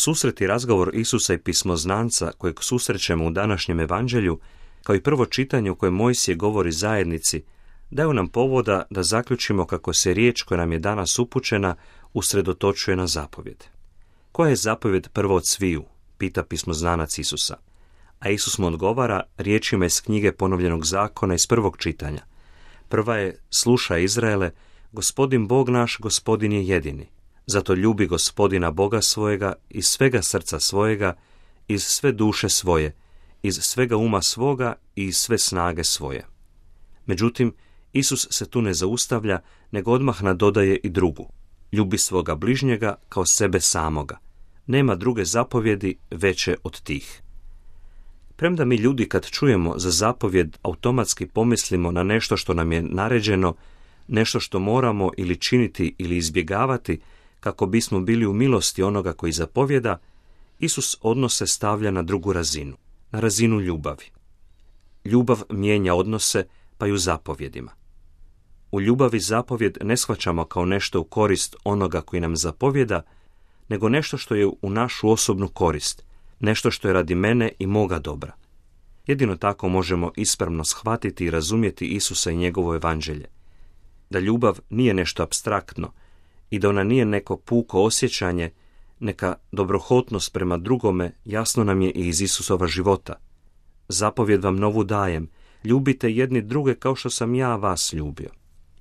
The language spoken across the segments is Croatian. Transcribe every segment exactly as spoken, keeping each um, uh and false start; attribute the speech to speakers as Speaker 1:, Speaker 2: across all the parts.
Speaker 1: Susret i razgovor Isusa i pismoznanca kojeg susrećemo u današnjem evanđelju, kao i prvo čitanje u kojem Mojsije govori zajednici, daju nam povoda da zaključimo kako se riječ koja nam je danas upućena usredotočuje na zapovjed. Koja je zapovjed prvo od sviju? Pita pismoznanac Isusa. A Isus mu odgovara riječima iz knjige Ponovljenog zakona iz prvog čitanja. Prva je: slušaj Izraele, Gospodin Bog naš, Gospodin je jedini. Zato ljubi Gospodina Boga svojega iz svega srca svojega, iz sve duše svoje, iz svega uma svoga i iz sve snage svoje. Međutim, Isus se tu ne zaustavlja, nego odmah nadodaje i drugu. Ljubi svoga bližnjega kao sebe samoga. Nema druge zapovjedi veće od tih. Premda mi ljudi kad čujemo za zapovjed automatski pomislimo na nešto što nam je naređeno, nešto što moramo ili činiti ili izbjegavati kako bismo bili u milosti onoga koji zapovjeda, Isus odnose stavlja na drugu razinu, na razinu ljubavi. Ljubav mijenja odnose, pa i u zapovjedima. U ljubavi zapovjed ne shvaćamo kao nešto u korist onoga koji nam zapovjeda, nego nešto što je u našu osobnu korist, nešto što je radi mene i moga dobra. Jedino tako možemo ispravno shvatiti i razumjeti Isusa i njegovo evanđelje. Da ljubav nije nešto apstraktno i da ona nije neko puko osjećanje, neka dobrohotnost prema drugome jasno nam je i iz Isusova života. Zapovjed vam novu dajem, ljubite jedni druge kao što sam ja vas ljubio.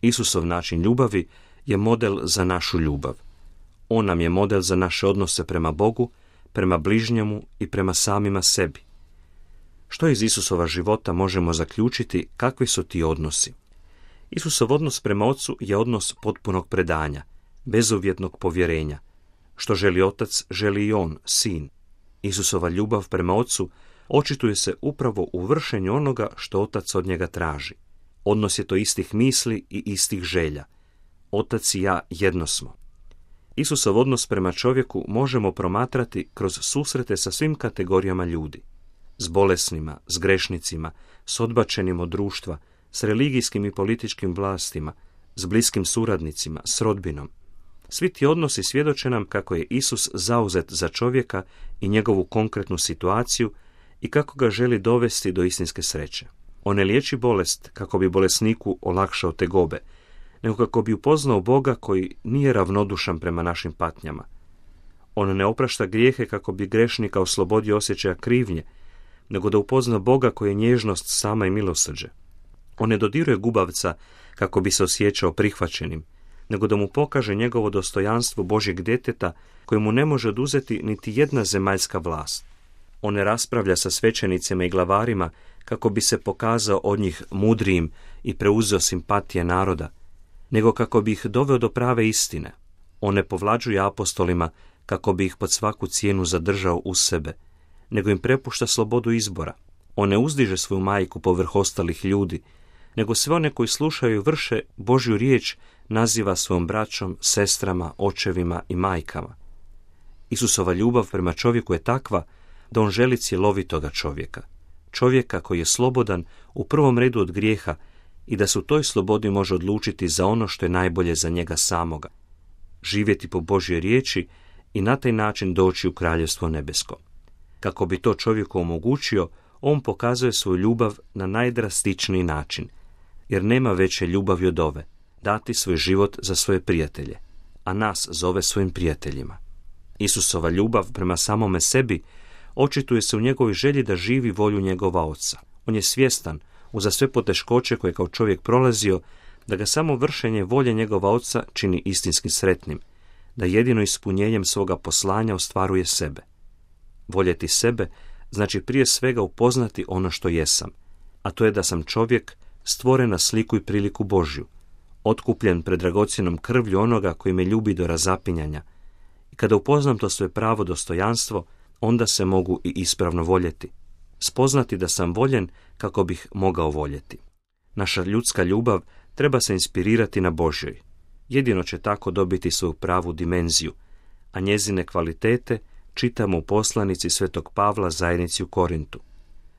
Speaker 1: Isusov način ljubavi je model za našu ljubav. On nam je model za naše odnose prema Bogu, prema bližnjemu i prema samima sebi. Što iz Isusova života možemo zaključiti kakvi su ti odnosi? Isusov odnos prema Ocu je odnos potpunog predanja, bezuvjetnog povjerenja. Što želi Otac, želi i On, Sin. Isusova ljubav prema Ocu očituje se upravo u vršenju onoga što Otac od njega traži. Odnos je to istih misli i istih želja. Otac i ja jedno smo. Isusov odnos prema čovjeku možemo promatrati kroz susrete sa svim kategorijama ljudi. S bolesnima, s grešnicima, s odbačenim od društva, s religijskim i političkim vlastima, s bliskim suradnicima, s rodbinom. Svi ti odnosi svjedoče nam kako je Isus zauzet za čovjeka i njegovu konkretnu situaciju i kako ga želi dovesti do istinske sreće. On ne liječi bolest kako bi bolesniku olakšao tegobe, nego kako bi upoznao Boga koji nije ravnodušan prema našim patnjama. On ne oprašta grijehe kako bi grešnika oslobodio osjećaja krivnje, nego da upozna Boga koji je nježnost sama i milosrđe. On ne dodiruje gubavca kako bi se osjećao prihvaćenim, nego da mu pokaže njegovo dostojanstvo Božjeg djeteta koje mu ne može oduzeti niti jedna zemaljska vlast. On ne raspravlja sa svećenicima i glavarima kako bi se pokazao od njih mudrijim i preuzeo simpatije naroda, nego kako bi ih doveo do prave istine. On ne povlađuje apostolima kako bi ih pod svaku cijenu zadržao uz sebe, nego im prepušta slobodu izbora. On ne uzdiže svoju majku povrh ostalih ljudi, nego sve one koji slušaju i vrše Božju riječ naziva svojom braćom, sestrama, očevima i majkama. Isusova ljubav prema čovjeku je takva da on želi cjelovitoga čovjeka, čovjeka koji je slobodan u prvom redu od grijeha i da se u toj slobodi može odlučiti za ono što je najbolje za njega samoga, živjeti po Božjoj riječi i na taj način doći u kraljevstvo nebesko. Kako bi to čovjeku omogućio, on pokazuje svoju ljubav na najdrastičniji način, jer nema veće ljubavi od ove, dati svoj život za svoje prijatelje, a nas zove svojim prijateljima. Isusova ljubav prema samome sebi očituje se u njegovoj želji da živi volju njegova Oca. On je svjestan, uza sve poteškoće koje kao čovjek prolazio, da ga samo vršenje volje njegova Oca čini istinski sretnim, da jedino ispunjenjem svoga poslanja ostvaruje sebe. Voljeti sebe znači prije svega upoznati ono što jesam, a to je da sam čovjek stvoren na sliku i priliku Božju, otkupljen pred dragocjenom krvlju onoga koji me ljubi do razapinjanja. I kada upoznam to svoje pravo dostojanstvo, onda se mogu i ispravno voljeti. Spoznati da sam voljen kako bih mogao voljeti. Naša ljudska ljubav treba se inspirirati na Božjoj. Jedino će tako dobiti svoju pravu dimenziju, a njezine kvalitete čitamo u poslanici Svetog Pavla zajednici u Korintu.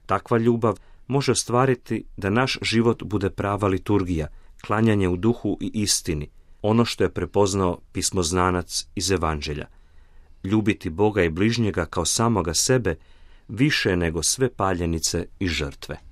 Speaker 1: Takva ljubav može ostvariti da naš život bude prava liturgija, klanjanje u duhu i istini, ono što je prepoznao pismoznanac iz Evanđelja. ljubiti Boga i bližnjega kao samoga sebe više nego sve paljenice i žrtve.